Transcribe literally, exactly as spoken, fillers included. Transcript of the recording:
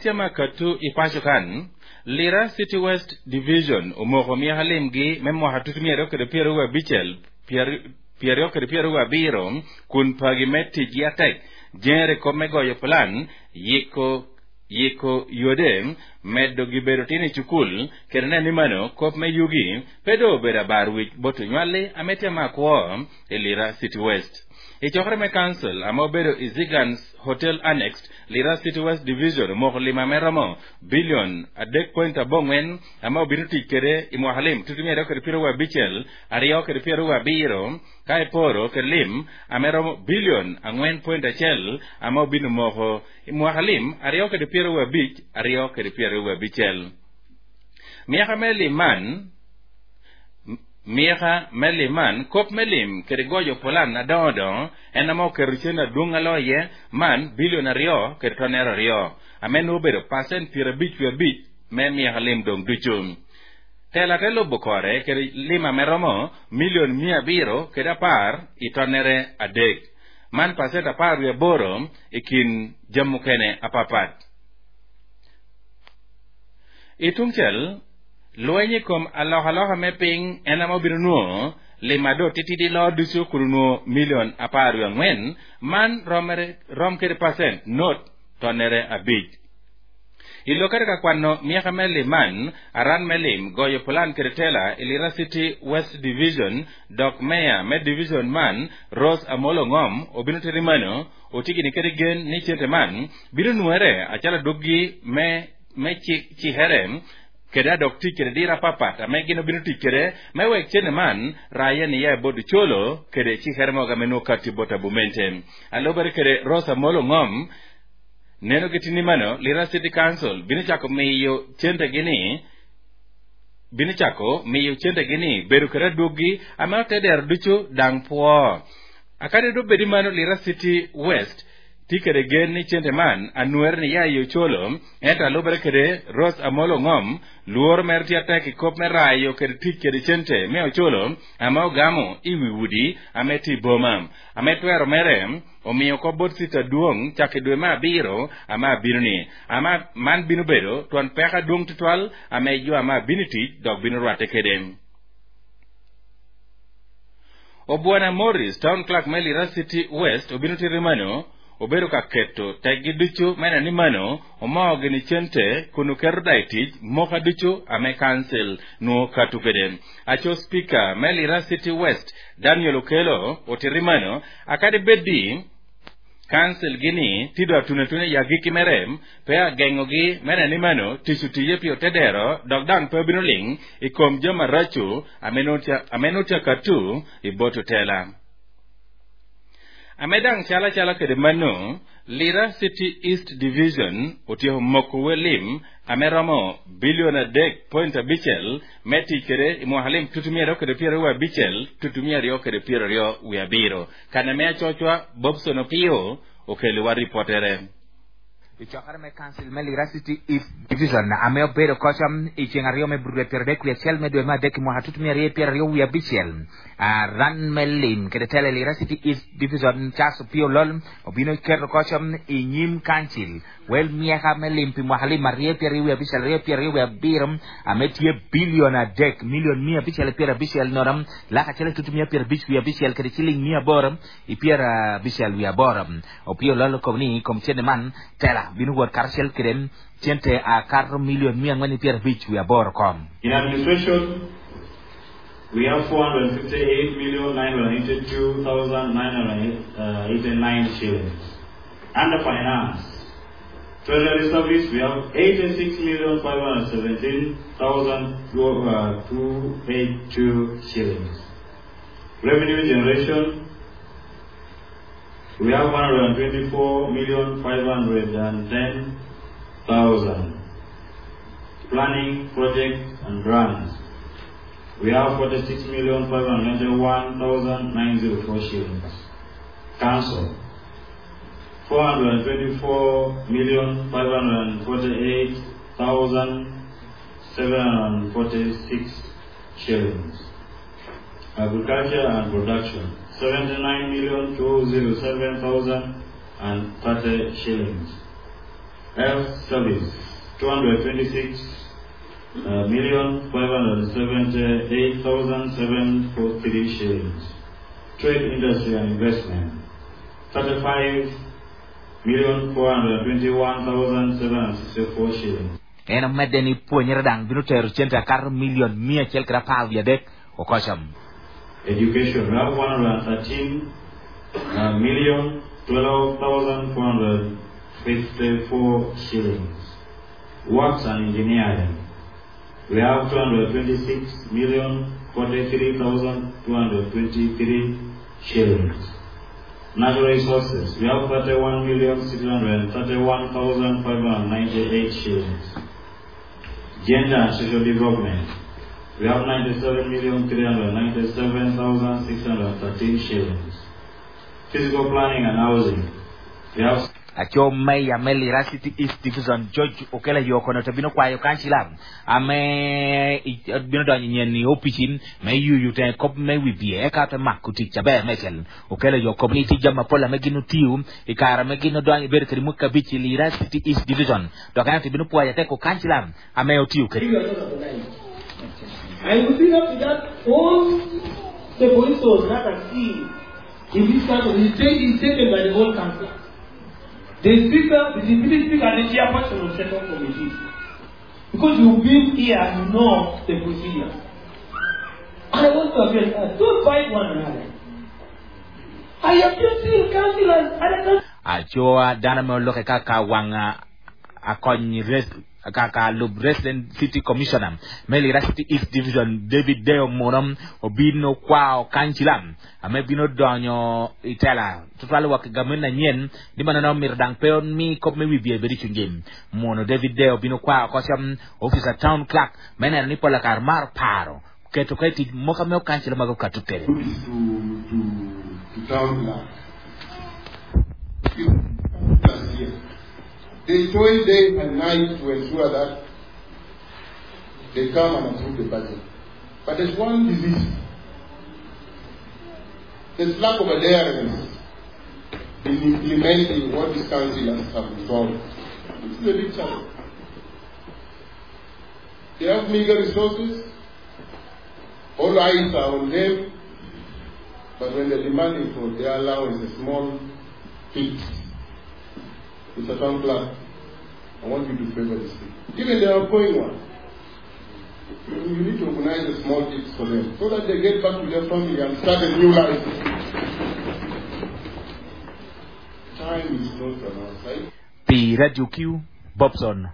Ametya makatu ipacho kan Lira City West Division omoko myaka limgi me mwaka tutu mia ariyo kede pyero wiye abicel pyero aryo kede pyero wiye abiro kun pagi me ticgi atek jere kop me goyo plan yiko yiko yode medo gibedo tin i cukul kede neno ni mano kop me yugi pe do obedo abar wic bot onywalli ametya makwo i Lira City West. I cokere me council ama obedo i Zigans Hotel Annexed Lira City West Division omoko lima me romo bilion adek point abongwen ama obino tic kede i mwaka lim tutu mia aryo kede pyero wiye abicel aryo kede pyero wiye abiro ka iporo kede lim ame romo bilion angwen point acel ama obino moko i mwaka lim aryo kede pyero wiye abic aryo kede pyero wiye abicel. Myaka me lim man Myeka me lim man kop me lim kede goyo polan adongo dongo en ama oketo cen adwong alo iye man bilion aryo kede tonero aryo ame nongo obedo pacent piero abic wiye abic me myeka lim dong ducu. Tela te lubo kore kede lima me romo milion mia abiro kede apar i tonere adek man pacent apar wiye aboro i kin jami mukene apapat. I tungcel lweny i kom alokaloka me piny en ama obino nwongo lima do titidi lo ducu kun onwongo milion apar wiye angwen man romere rom kede pacent not tonere abic. I lokere ka kwano myeka me lim man aran me lim goyo plan kede tela i Lira City West Division dok meya me division man Rose Amolo Ngom obino teri mano otigini kede gen ni cente man bino nwere acalo doggi me me cihere kede adok tic kede dira papat ame gin obino tic kede me wek cene man raya ni ya bodo colo kede cihere moga me nwongo kati bot abumente. Alubere kede Rose Amolo Ngom neno gitini mano Lira City Council bino chako miyo cente gini bino chako miyo cente gini bedo kede adwogi ame oteder ducu dang pwo. Akade do bedi mano Lira City West ti kede gen ni cente man anwer ni ya yo cholo ento alubere kede Rose Amolo Ngom luor mer ti atek i kop me rayo kede tic kede cente me ocholo ama ogamo i wi udi ame ti boma ame twero mere omiyo ko bot sita duong chako dwe me abiro ama abiro ni ama man bino bedo twon peka duong tutwal ame jo ama abino tic dok bino rwate kede. Obwana Morris town clerk me Lira City West obino tiri mano obedo ka keto teggi ducu mene ni mano omoo gini cente kun oketo dai tic moka ducu ame council nuo katu kede. Aco speaker me Lira City West Daniel Okelo otiri mano akadi bedi council gini tido atune tune ya giki merem pe agengogi mene ni mano tic otiye pi otedero dok dang pe obino ling i kom joma racu ame notya katu i bot otela. Ame dang cala cala kede mano Lira City East Division otieko moko welim ame romo bilion adek point abicel me tic kede i mwaka lim tutu mia ariyo kede piero wiye abicel tutu mia ariyo kede piero ariyo wiye abiro. Kane me acocwa Bobson Opio okeliwa ripotere. I cokere me council me Lira City East Division ame obedo koca i ceng aryo me budwe piero adek wiye acel me dwe me adek i mwaka tutu mia ariyo piero ariyo wiye abicel ran me lim kede tele Lira City East Division Charles Opio Lol obino keto koca i nyim council wel myeka me lim pi mwaka lim aryo piero ariyo wiye abicel aryo piero ariyo wiye abiro ame tye bilion adek milion mia abicel piero abicel nono lak acel tutu mia piero abic wiye abicel kede ciling mia aboro i piero abicel wiye aboro Opio Lol okobo ni kom cene man tela bino wot karacel kede cente akato milion mia angwen piero abic wiye aboro kom. In administration, we have four hundred fifty-eight million nine hundred eighty-two thousand nine hundred eighty-nine shillings. Under finance, Treasury Service, we have eighty-six million five hundred seventeen thousand two eighty-two shillings. Revenue generation, we have one hundred twenty-four million five hundred ten thousand. Planning, projects, and grants, we have forty-six million five hundred ninety-one thousand nine hundred four shillings. Council, four hundred twenty-four million five hundred forty-eight thousand seven hundred forty-six shillings. Agriculture and production, seventy-nine million two hundred seven thousand and thirty shillings. Health Service, two hundred twenty-six million five hundred seventy-eight thousand seven four three shillings. Trade, Industry and Investment, thirty-five million four hundred twenty-one thousand seven hundred sixty-four shillings. En omedde ni pwonyere dang bino tero cente akato milion mia achiel kod apar wiye adek okocham. Education, we have one hundred thirteen million twelve thousand four hundred fifty-four shillings. Works and Engineering, we have two hundred twenty-six million forty-three thousand two hundred twenty-three shillings. Natural Resources, we have thirty-one million six hundred thirty-one thousand five hundred ninety-eight shillings. Gender and Social Development, we have ninety-seven million three hundred ninety-seven thousand six hundred thirteen shillings. Physical Planning and Housing, we have Acho Mayor me Lira City East Division George Okela Yokono to bino kwayo kanchila ame bino donyo nyien ni opichin me yuyu te kop me wibie eka te makuti chabe mechel Okela Yoko ni tija mapola me gino tiu ikara me gino donyo ber kiri muka bichi Lira City East Division to kana te bino pwaya te ko kanchila ame otiu ke. I will see up to that all the police force that I see in this country is taken by the whole council. The speaker, the deputy speaker, and the chairperson of the second committee. Because you've been here, you know the procedure. I want to appeal, uh, don't fight one another. I have just seen councillors, other councillors. Achoa dana me loke kaka wanga akonyi rest kaka lub Resident City Commissioner me Lira City East Division David Deo Monom obino kwao kanchilam ame bino donyo itela tutwalo wak gamena nyien di manano mirdang peon mi kop me wibie beri chungim mono David Deo bino kwao kosyam officer town clerk mena ni pola kar mar paro keto keti moka me kanchila mago katutere to to to town clerk. They toil day and night to ensure that they come and approve the budget. But there's one disease. There's lack of adherence in implementing what these councillors have resolved. This is a big challenge. They have meager resources. All eyes are on them. But when they're demanding for their allowance, a small fix, Mister Town Clerk, I want you to favor this thing. Even the outgoing one. You need to organize a small tips for them so that they get back to their family and start a new life. Time is not on our side. P Radio Q, Bobson